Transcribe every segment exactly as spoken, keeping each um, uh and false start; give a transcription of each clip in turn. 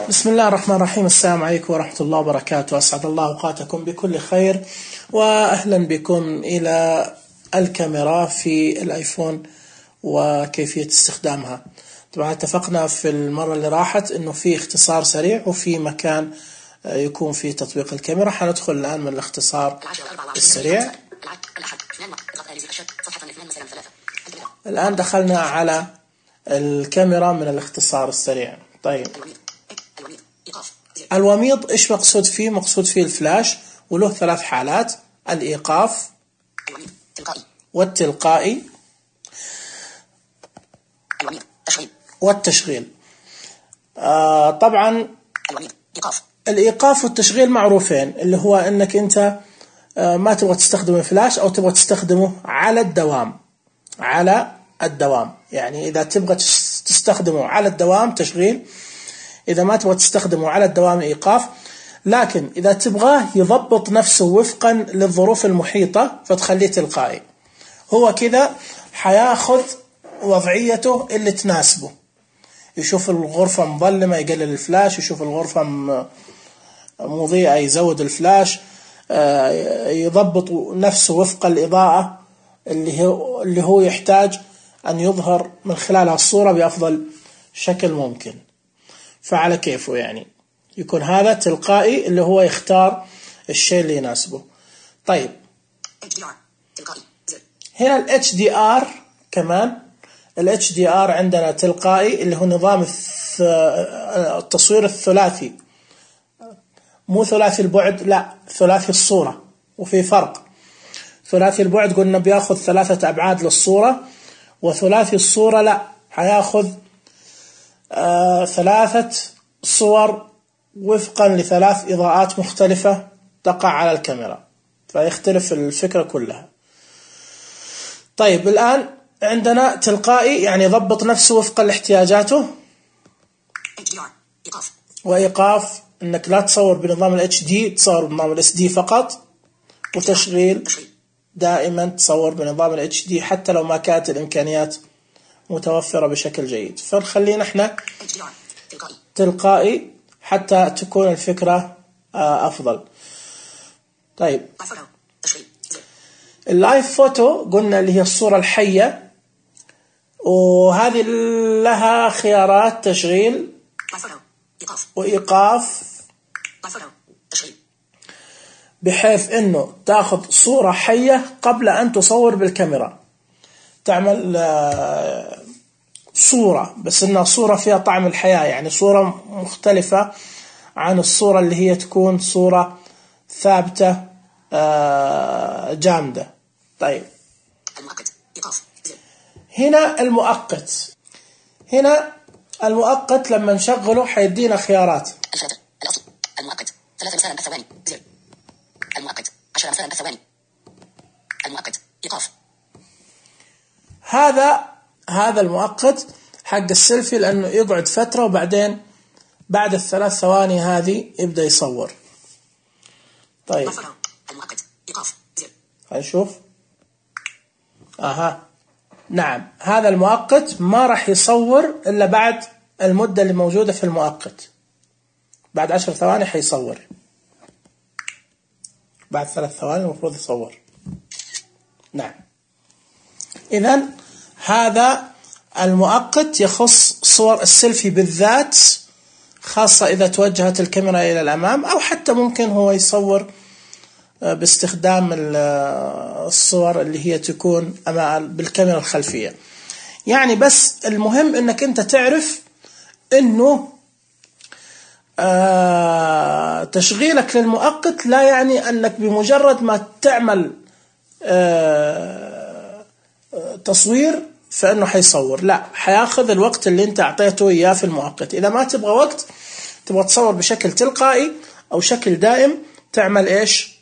بسم الله الرحمن الرحيم. السلام عليكم ورحمة الله وبركاته. أسعد الله أوقاتكم بكل خير، وأهلا بكم إلى الكاميرا في الآيفون وكيفية استخدامها. طبعا اتفقنا في المرة اللي راحت أنه في اختصار سريع وفي مكان يكون في تطبيق الكاميرا. حندخل الآن من الاختصار السريع. الآن دخلنا على الكاميرا من الاختصار السريع. طيب، الوميض إيش مقصود فيه؟ مقصود فيه الفلاش، وله ثلاث حالات: الإيقاف والتلقائي والتشغيل. آه طبعا الإيقاف والتشغيل معروفين، اللي هو أنك أنت آه ما تبغى تستخدم الفلاش أو تبغى تستخدمه على الدوام. على الدوام يعني إذا تبغى تستخدمه على الدوام تشغيل، إذا ما تبغى تستخدمه على الدوام إيقاف. لكن إذا تبغاه يضبط نفسه وفقا للظروف المحيطة فتخليه تلقائي. هو كذا حياخذ وضعيته اللي تناسبه. يشوف الغرفة مظلمة يقلل الفلاش، يشوف الغرفة مضيئة يزود الفلاش، يضبط نفسه وفق الإضاءة اللي هو اللي هو يحتاج أن يظهر من خلالها الصورة بأفضل شكل ممكن. فعلى كيفه يعني يكون هذا تلقائي، اللي هو يختار الشيء اللي يناسبه. طيب، هنا ال إتش دي آر كمان. ال إتش دي آر عندنا تلقائي، اللي هو نظام التصوير الثلاثي، مو ثلاثي البعد، لا ثلاثي الصورة. وفي فرق. ثلاثي البعد قلنا بياخذ ثلاثة أبعاد للصورة، وثلاثي الصورة لا، حياخذ آه ثلاثة صور وفقا لثلاث إضاءات مختلفة تقع على الكاميرا، فيختلف الفكرة كلها. طيب، الآن عندنا تلقائي يعني يضبط نفسه وفقا لاحتياجاته، وإيقاف إنك لا تصور بنظام ال إتش دي، تصور بنظام ال إس دي فقط. وتشغيل دائما تصور بنظام ال إتش دي حتى لو ما كانت الإمكانيات متوفرة بشكل جيد. فخلينا احنا تلقائي حتى تكون الفكرة أفضل. طيب، اللايف فوتو قلنا اللي هي الصورة الحية، وهذه لها خيارات تشغيل وإيقاف، بحيث انه تاخذ صورة حية قبل ان تصور بالكاميرا. تعمل صورة بس انها صورة فيها طعم الحياة، يعني صورة مختلفة عن الصورة اللي هي تكون صورة ثابتة جامدة. طيب، هنا المؤقت. هنا المؤقت لما نشغله حيدينا خيارات. المؤقت ثلاث مثلا بثواني، زر المؤقت عشرة مثلا بثواني، المؤقت إيقاف. هذا هذا المؤقت حق السيلفي، لأنه يقعد فترة وبعدين بعد الثلاث ثواني هذه يبدأ يصور. طيب، المؤقت إيقاف، زر. هنشوف. أها، نعم، هذا المؤقت ما راح يصور إلا بعد المدة اللي موجودة في المؤقت. بعد عشر ثواني حيصور، بعد ثلاث ثواني المفروض يصور. نعم، إذن هذا المؤقت يخص صور السيلفي بالذات، خاصة إذا توجهت الكاميرا إلى الأمام، أو حتى ممكن هو يصور باستخدام الصور اللي هي تكون بالكاميرا الخلفية. يعني بس المهم أنك أنت تعرف أنه آه تشغيلك للمؤقت لا يعني أنك بمجرد ما تعمل آه تصوير فإنه حيصور. لا، حياخذ الوقت اللي أنت أعطيته إياه في المؤقت. إذا ما تبغى وقت، تبغى تصور بشكل تلقائي أو شكل دائم، تعمل إيش؟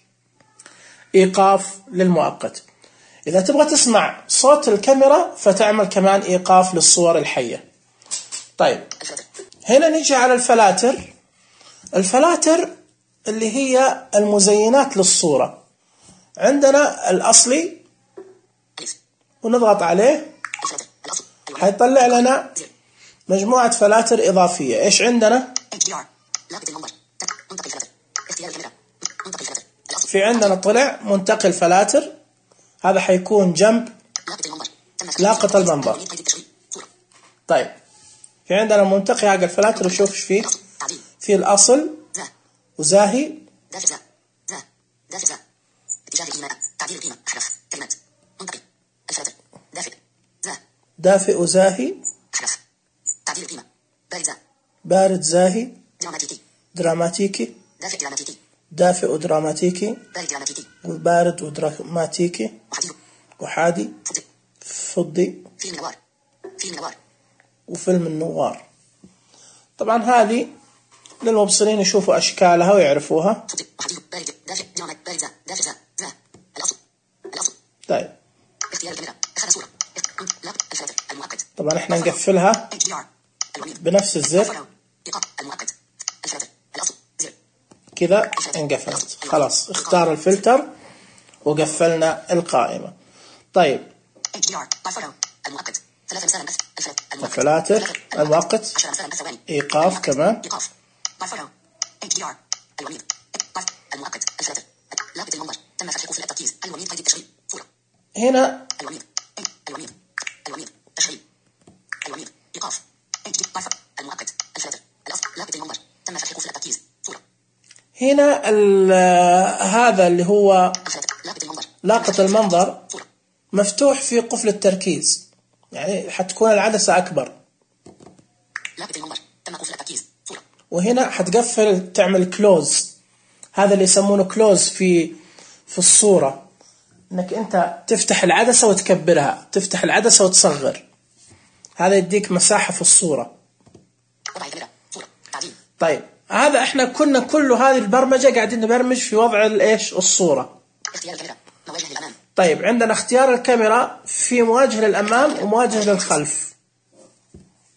إيقاف للمؤقت. إذا تبغى تسمع صوت الكاميرا فتعمل كمان إيقاف للصور الحية. طيب، هنا نيجي على الفلاتر. الفلاتر اللي هي المزينات للصورة. عندنا الأصلي ونضغط عليه حيطلع لنا مجموعة فلاتر إضافية. إيش عندنا؟ في عندنا طلع منتقل فلاتر، هذا حيكون جنب لاقط المنظر. طيب في عندنا منتقي حق الفلاتر، وشوف ايش فيه. في الأصل وزاهي دافئ وزاهي بارد زاهي دراماتيكي دافئ ودراماتيكي وبارد ودراماتيكي وحادي فضي وفيلم النوار. طبعا هذه للمبصرين يشوفوا أشكالها ويعرفوها. طيب طبعا احنا نقفلها بنفس الزر كذا، انقفلت خلاص. اختار الفلتر وقفلنا القائمة. طيب الفلاتر المؤقت إيقاف كمان. هنا هنا هذا اللي هو لاقط المنظر مفتوح في قفل التركيز، يعني حتكون العدسة أكبر. وهنا حتقفل تعمل كلوز، هذا اللي يسمونه كلوز في في الصورة، انك انت تفتح العدسة وتكبرها، تفتح العدسة وتصغر، هذا يديك مساحة في الصورة. طيب هذا احنا كنا كل هذه البرمجة قاعدين نبرمج في وضع الايش الصورة. طيب عندنا اختيار الكاميرا في مواجهة للأمام ومواجهة للخلف،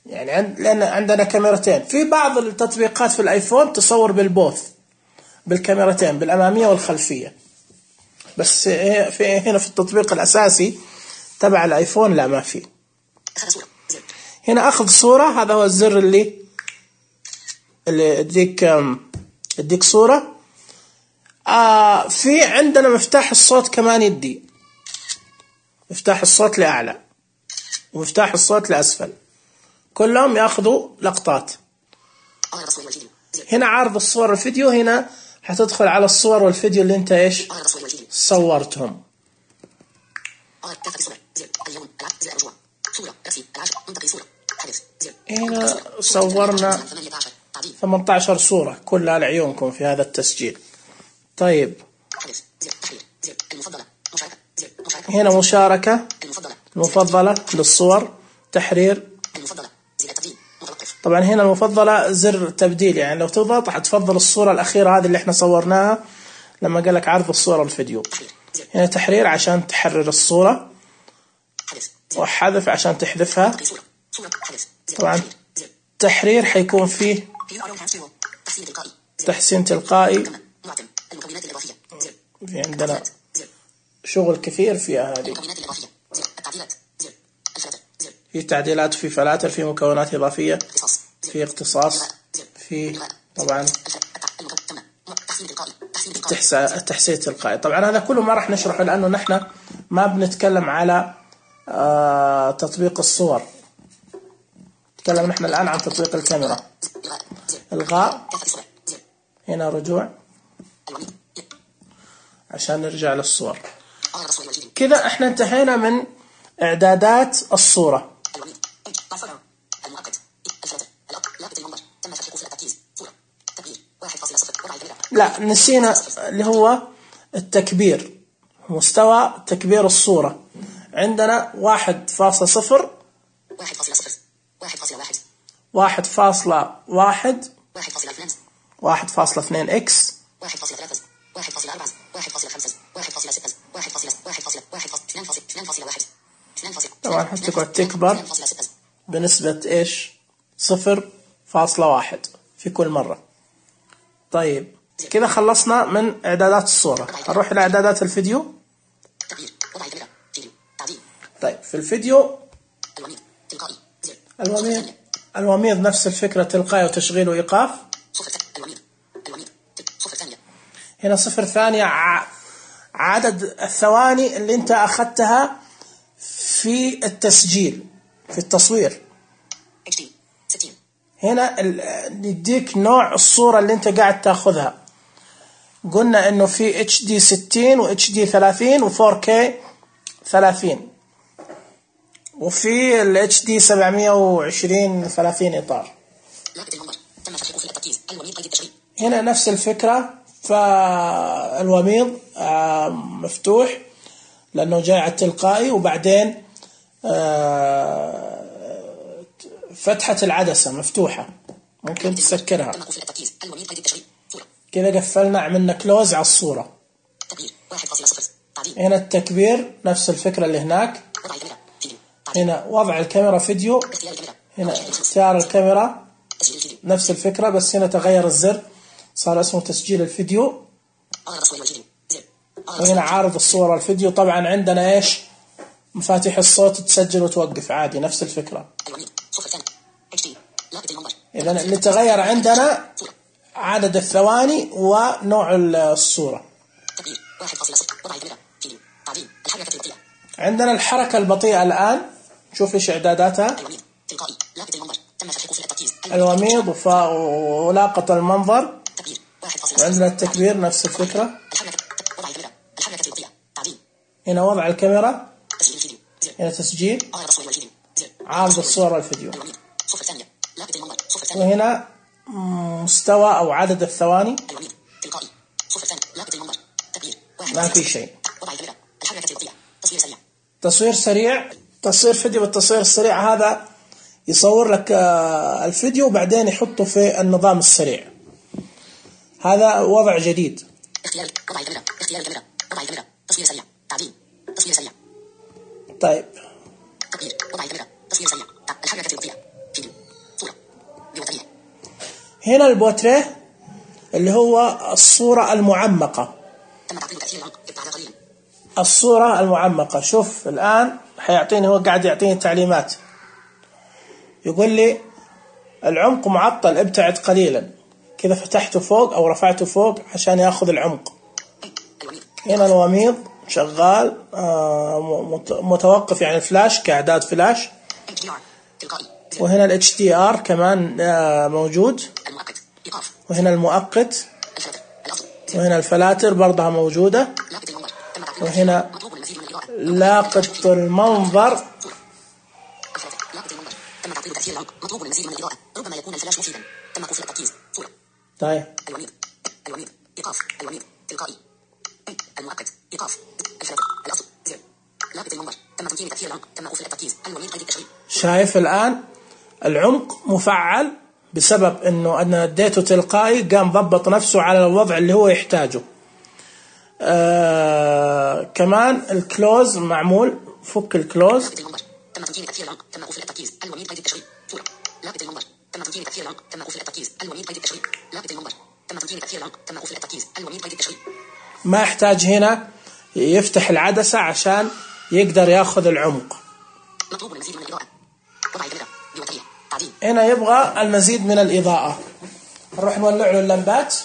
يعني عند لأن عندنا كاميرتين. في بعض التطبيقات في الآيفون تصور بالبوث بالكاميرتين بالأمامية والخلفية، بس في هنا في التطبيق الأساسي تبع الآيفون لا ما في. هنا أخذ صورة، هذا هو الزر اللي اللي يديك يديك صورة. آه في عندنا مفتاح الصوت كمان يدي مفتاح الصوت لأعلى ومفتاح الصوت لأسفل، كلهم يأخذوا لقطات. هنا عرض الصور والفيديو، هنا حتدخل على الصور والفيديو اللي انت ايش صورتهم. هنا صورنا ثمانية عشر صورة كلها لعيونكم في هذا التسجيل. طيب هنا مشاركة المفضلة للصور، تحرير. طبعا هنا المفضلة زر تبديل، يعني لو تضغط حتفضل الصورة الأخيرة هذه اللي احنا صورناها لما قالك عرض الصورة والفيديو. هنا تحرير عشان تحرر الصورة، وحذف عشان تحذفها. طبعا تحرير حيكون فيه تحسين تلقائي، في عندنا شغل كثير فيها هذه. في تعديلات، في فلاتر، في مكونات إضافية، في اختصاص، في طبعا التحسين التلقائي. طبعا هذا كله ما راح نشرحه لأنه نحن ما بنتكلم على آه تطبيق الصور، نتكلم نحن الآن عن تطبيق الكاميرا. إلغاء، هنا رجوع عشان نرجع للصور. كذا احنا انتهينا من إعدادات الصورة. لا نسينا اللي هو التكبير، مستوى تكبير الصورة. عندنا واحد فاصلة صفر واحد فاصلة واحد واحد فاصلة اثنين اكس طبعا حتقعد تكبر بنسبة ايش صفر فاصلة واحد في كل مرة. طيب كذا خلصنا من إعدادات الصورة. هنروح إلى إعدادات الفيديو. طيب في الفيديو الوميض الوميض نفس الفكرة، تلقائي وتشغيل وإيقاف. الوميض الوميض صفر ثانية. هنا صفر ثانية عدد الثواني اللي انت أخذتها في التسجيل في التصوير. ستين. هنا نديك نوع الصورة اللي انت قاعد تاخذها. قلنا انه في اتش دي ستين و اتش دي ثلاثين و فور كي ثلاثين، وفي ال اتش دي سبعمية وعشرين ثلاثين إطار. هنا نفس الفكرة، فالوميض مفتوح لأنه جاي على التلقائي، وبعدين فتحة العدسة مفتوحة ممكن تسكرها كذا. قفلنا، عملنا كلوز على الصورة. هنا التكبير نفس الفكرة اللي هناك. هنا وضع الكاميرا فيديو، هنا اختيار الكاميرا نفس الفكرة، بس هنا تغير الزر صار اسمه تسجيل الفيديو. وهنا عارض الصورة والفيديو. طبعا عندنا ايش مفاتيح الصوت تسجل وتوقف عادي نفس الفكرة. إذا اللي تغير عندنا عدد الثواني ونوع الصورة. عندنا الحركة البطيئة الآن، شوف ايش إعداداتها. الوميض ولاقة المنظر، وعندنا التكبير نفس الفكرة. هنا وضع الكاميرا، هنا تسجيل، عارض الصورة والفيديو، وهنا مستوى أو عدد الثواني. ما في شيء. تصوير سريع، تصوير فيديو. بالتصوير السريع هذا يصور لك الفيديو وبعدين يحطه في النظام السريع. هذا وضع جديد. اختيار وضع الكاميرا، اختيار الكاميرا، وضع الكاميرا، تصوير سريع، تعديل، تصوير سريع. طيب. تغيير وضع الكاميرا، تصوير سريع، الحركة البطيئة، فيديو، صورة، بوتريه. هنا البوتريه اللي هو الصورة المعمقة. تم تعطيل تأثير العمق، ابتعد قليلا. الصورة المعمقة. شوف الآن حيعطيني، هو قاعد يعطيني تعليمات، يقول لي العمق معطل، ابتعد قليلا. كذا فتحته فوق أو رفعته فوق عشان يأخذ العمق. هنا الوميض شغال، متوقف يعني فلاش كإعداد فلاش. وهنا ال اتش دي ار كمان موجود. وهنا المؤقت، وهنا الفلاتر برضها موجودة. وهنا لاقة المنظر. تم تعطيل تأثير العمق، مطلوب المزيد من الإضاءة، ربما يكون الفلاش مفيدا. تم قفل التركيز، صورة. طيب. الوميض الوميض إيقاف، الوميض تلقائي، المؤقت إيقاف، الفلاتر الأصل زر، لاقة المنظر. تم تمكين تأثير العمق، تم قفل التركيز، الوميض قيد التشغيل. شايف الآن العمق مفعل بسبب إنه أنا اديته تلقائي، قام ضبط نفسه على الوضع اللي هو يحتاجه. آه كمان الكلوز معمول، فك الكلوز. تم تمكين تأثير العمق، تم قفل التركيز، الوميض قيد التشغيل، صورة. لاقة المنظر. تم تمكين تأثير العمق، تم قفل التركيز، الوميض قيد التشغيل. لاقة المنظر. تم تمكين تأثير العمق، تم قفل التركيز، الوميض قيد التشغيل. ما يحتاج هنا يفتح العدسة عشان يقدر ياخذ العمق. مطلوب المزيد من الإضاءة. وضع الكاميرا بوتريه، تعديل. هنا يبغى المزيد من الإضاءة، نروح نولع له اللمبات.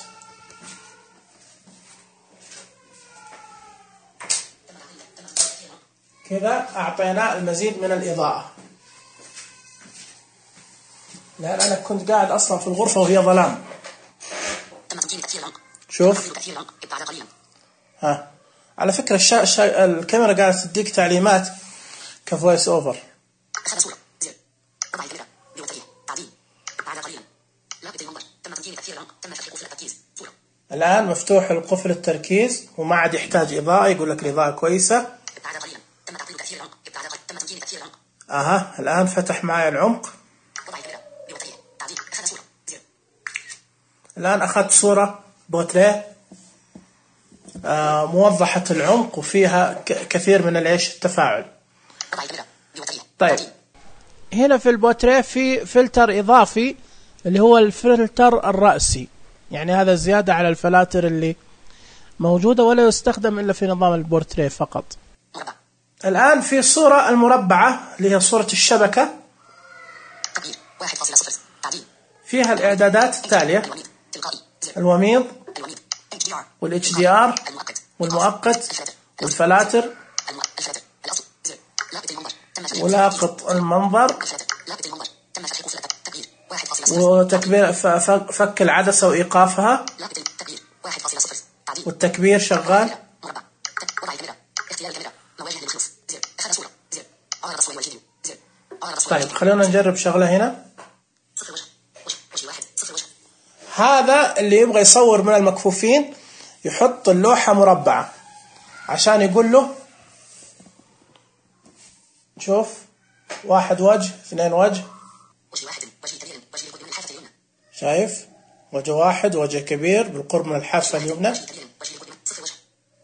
كذا أعطيناه المزيد من الإضاءة. لأن أنا كنت قاعد أصلا في الغرفة وهي ظلام. شوف. ها. على فكرة الشا... الشا... الكاميرا قاعدة تديك تعليمات كفويس أوفر. الآن مفتوح القفل التركيز وما عاد يحتاج إضاءة، يقول لك الإضاءة كويسة. أها الآن فتح معي العمق. الآن أخذت صورة بوتريه آه موضحة العمق وفيها كثير من الإيش التفاعل. طيب هنا في البوتريه في فلتر إضافي اللي هو الفلتر الرأسي، يعني هذا زيادة على الفلاتر اللي موجودة ولا يستخدم إلا في نظام البورتريه فقط. الآن في صورة المربعة اللي هي صورة الشبكة. واحد فاصلة صفر تعديل. فيها الإعدادات التالية: الوميض تلقائي زر. الوميض الوميض اتش دي ار والاتش دي ار المؤقت والمؤقت والفلاتر الفلاتر الأصل زر. لاقط المنظر تم فتح ولاقط المنظر الفلاتر لاقط المنظر تم فتح قفل التكبير واحد فاصلة صفر وتكبير ف- ف- فك العدسة وإيقافها لاقط التكبير واحد فاصلة صفر تعديل. والتكبير شغال. مربع تك- وضع الكاميرا اختيار الكاميرا مواجهة للخلوص زر. أخذ صورة زر. أعرض الصور والفيديو زر. أعرض الصور طيب والفيديو. خلونا نجرب شغلة هنا. صفر وجه وجه وجه واحد صفر وجه. هذا اللي يبغى يصور من المكفوفين يحط اللوحة مربعة عشان يقول له شوف واحد وجه اثنين وجه. وجه واحد وجه كبير وجه يقود من الحافة اليمنى. شايف وجه واحد وجه كبير بالقرب من الحافة اليمنى. وجه كبير وجه يقود من صفر وجه.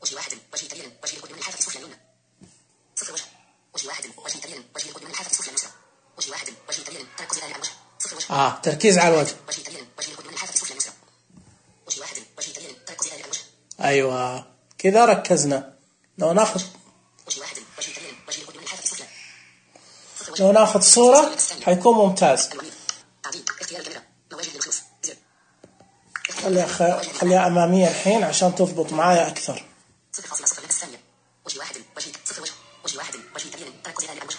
وجه واحد وجه كبير وجه يقود من الحافة السفلى اليمنى. صفر وجه. وجه واحد وجه كبير وجه يقود من الحافة السفلى اليسرى. وجه واحد وجه كبير تركز على الوجه. صفر وجه. آه تركيز على الوجه. وجه كبير وجه يقود من الحافة السفلى اليسرى. وجه واحد وجه كبير تركز على الوجه. أيوة كذا ركزنا. لو ناخذ وجه واحد وجه كبير وجه يقود من الحافة السفلى. صفر وجه. لو ناخذ صورة حيكون ممتاز. الوميض تعديل اختيار الكاميرا مواجهة للخلوص زر. خليها خ- خليها أمامية الحين عشان تضبط معايا أكثر. صفر فاصلة صفر نفس الثانية. وجه واحد وجه صفر وجه. وجه واحد وجه كبير تركز على الوجه.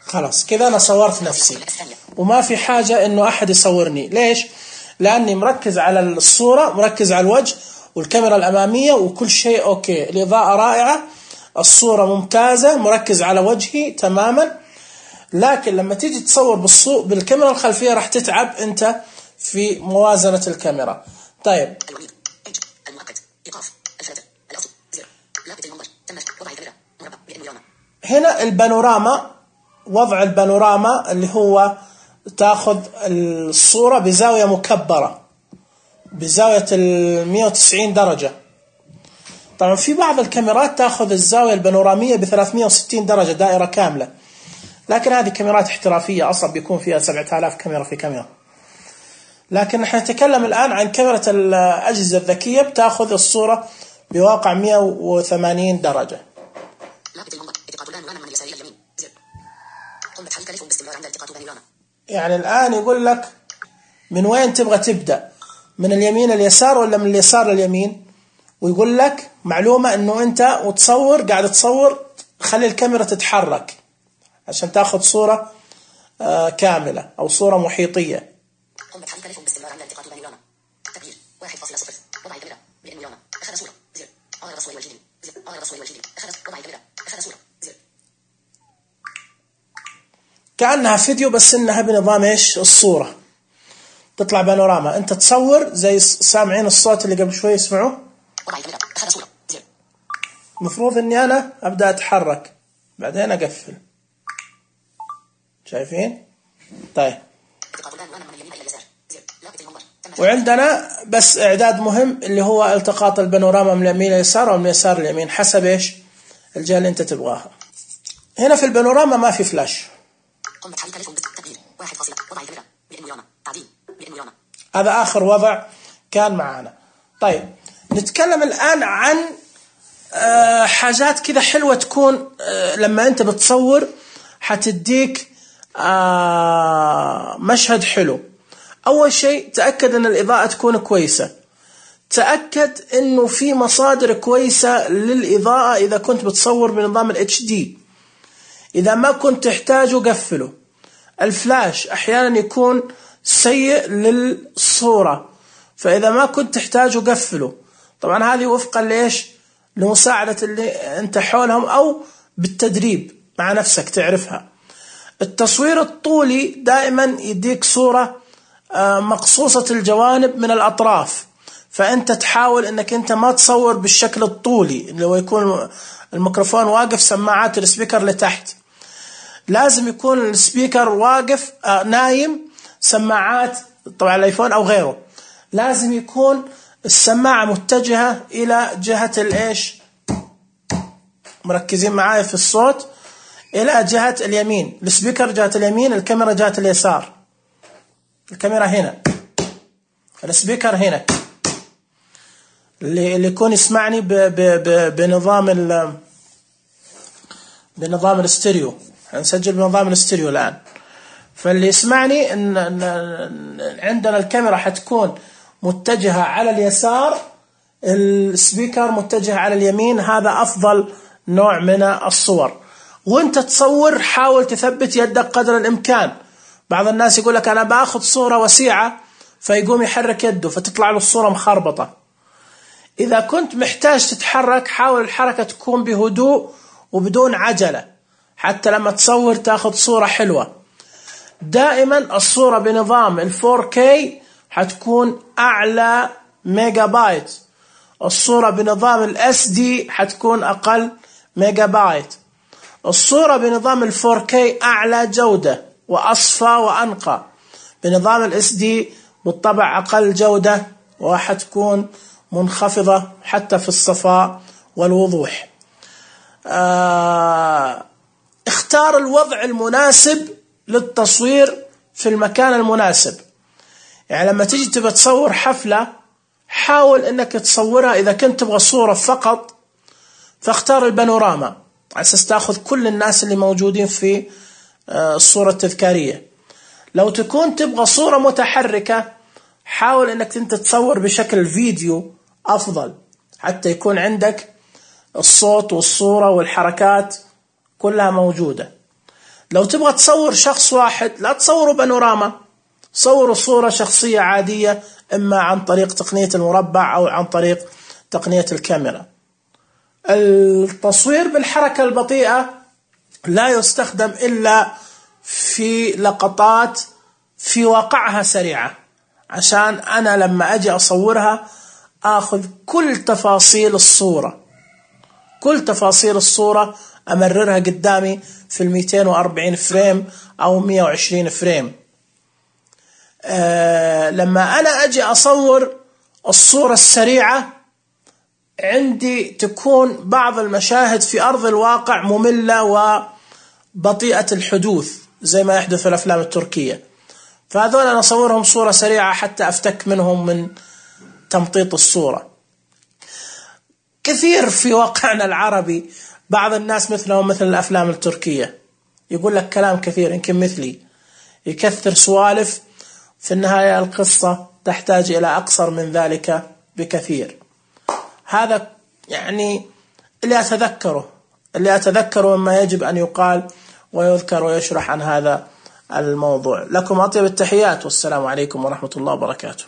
خلاص كذا أنا صورت نفسي وما في حاجة إنه أحد يصورني. ليش؟ لأني مركز على الصورة مركز على الوجه والكاميرا الأمامية وكل شيء أوكي. الإضاءة رائعة الصورة ممتازة مركز على وجهي تماما. لكن لما تيجي تصور بالصو... بالكاميرا الخلفية راح تتعب أنت في موازنة الكاميرا. طيب الوميض اتش المؤقت ايقاف الفلاتر الاصل زر. لاقط المنظر تم وضع الكاميرا مربع بانوراما. هنا البانوراما وضع البانوراما اللي هو تاخذ الصورة بزاوية مكبرة بزاوية المية وتسعين درجة. طبعا في بعض الكاميرات تاخذ الزاوية البانورامية بثلاثمية وستين درجة دائرة كاملة. لكن هذه كاميرات احترافية أصلا بيكون فيها سبعة آلاف كاميرا في كاميرا. لكن نحن نتكلم الآن عن كاميرا الأجهزة الذكية بتاخذ الصورة بواقع مية وثمانين درجة. لاقط المنظر التقاط البانوراما من اليسار الى اليمين زر. قم بتحريك الف باستمرار عند التقاط بانوراما. يعني الآن يقول لك من وين تبغى تبدأ من اليمين اليسار ولا من اليسار لليمين. ويقول لك معلومة انه انت وتصور قاعد تصور خلي الكاميرا تتحرك عشان تاخذ صورة آه كاملة او صورة محيطية. قم بتحريك الف باستمرار عند التقاط بانوراما. تكبير واحد فاصلة صفر وضع الكاميرا بانوراما. أخذ صورة زر. أعرض الصور والفيديو زر. أعرض الصور والفيديو أخذ وضع الكاميرا أخذ صورة زر. كأنها فيديو بس انها بنظام ايش الصورة تطلع بانوراما. انت تصور زي سامعين الصوت اللي قبل شوي اسمعوه. وضع الكاميرا أخذ صورة زر. المفروض اني انا ابدأ اتحرك بعدين اقفل. شايفين؟ طيب التقاط البانوراما من اليمين الى اليسار زر. لاقط المنظر تم. وعندنا بس اعداد مهم اللي هو التقاط البانوراما من اليمين لليسار او من اليسار لليمين حسب ايش الجهة اللي انت تبغاها. هنا في البانوراما ما في فلاش. قم بتحريك الف بالتكبير واحد فاصلة وضع الكاميرا بانوراما تعديل بانوراما. هذا آخر وضع كان معنا. طيب نتكلم الآن عن آه حاجات كذا حلوة تكون آه لما أنت بتصور حتديك آه مشهد حلو. أول شيء تأكد أن الإضاءة تكون كويسة. تأكد أنه في مصادر كويسة للإضاءة إذا كنت بتصور بنظام ال إتش دي. إذا ما كنت تحتاجه قفله. الفلاش أحيانا يكون سيء للصورة فإذا ما كنت تحتاجه قفله. طبعا هذه وفقا ليش لمساعدة اللي أنت حولهم أو بالتدريب مع نفسك تعرفها. التصوير الطولي دائما يديك صورة مقصوصة الجوانب من الأطراف فأنت تحاول أنك أنت ما تصور بالشكل الطولي اللي هو يكون الميكروفون واقف سماعات السبيكر لتحت. لازم يكون السبيكر واقف آه نايم سماعات طبعا الايفون او غيره لازم يكون السماعة متجهة الى جهة الايش مركزين معايا في الصوت الى جهة اليمين. السبيكر جهة اليمين الكاميرا جهة اليسار. الكاميرا هنا السبيكر هنا اللي اللي يكون يسمعني ب ب ب بنظام ال بنظام الاستيريو. هنسجل بنظام الاستيريو الآن فاللي يسمعني إن, إن عندنا الكاميرا حتكون متجهة على اليسار، السبيكر متجه على اليمين، هذا أفضل نوع من الصور. وانت تصور حاول تثبت يدك قدر الإمكان. بعض الناس يقول لك أنا بأخذ صورة وسيعة فيقوم يحرك يده فتطلع له الصورة مخربطة. إذا كنت محتاج تتحرك حاول الحركة تكون بهدوء وبدون عجلة حتى لما تصور تأخذ صورة حلوة. دائما الصورة بنظام ال فور كي حتكون أعلى ميجا بايت، الصورة بنظام ال إس دي حتكون أقل ميجا بايت. الصورة بنظام ال فور كي أعلى جودة وأصفى وأنقى، بنظام ال إس دي بالطبع أقل جودة وحتكون منخفضة حتى في الصفاء والوضوح. آه اختار الوضع المناسب للتصوير في المكان المناسب. يعني لما تيجي تبى تصور حفلة حاول انك تصورها، اذا كنت تبغى صورة فقط فاختار البانوراما على اساس تاخذ كل الناس اللي موجودين في الصورة التذكارية. لو تكون تبغى صورة متحركة حاول انك انت تصور بشكل فيديو افضل حتى يكون عندك الصوت والصورة والحركات كلها موجودة. لو تبغى تصور شخص واحد لا تصوروا بانوراما، صوروا صورة شخصية عادية إما عن طريق تقنية المربع أو عن طريق تقنية الكاميرا. التصوير بالحركة البطيئة لا يستخدم إلا في لقطات في واقعها سريعة، عشان أنا لما أجي أصورها أخذ كل تفاصيل الصورة، كل تفاصيل الصورة أمررها قدامي في المئتين وأربعين فريم أو مئة وعشرين فريم. أه لما أنا أجي أصور الصورة السريعة عندي تكون بعض المشاهد في أرض الواقع مملة وبطيئة الحدوث زي ما يحدث في الأفلام التركية، فهذول أنا أصورهم صورة سريعة حتى أفتك منهم من تمطيط الصورة. كثير في واقعنا العربي بعض الناس مثلهم مثل الأفلام التركية يقول لك كلام كثير، يمكن مثلي يكثر سوالف، في النهاية القصة تحتاج إلى أقصر من ذلك بكثير. هذا يعني اللي أتذكره اللي أتذكره مما يجب أن يقال ويذكر ويشرح عن هذا الموضوع. لكم أطيب التحيات والسلام عليكم ورحمة الله وبركاته.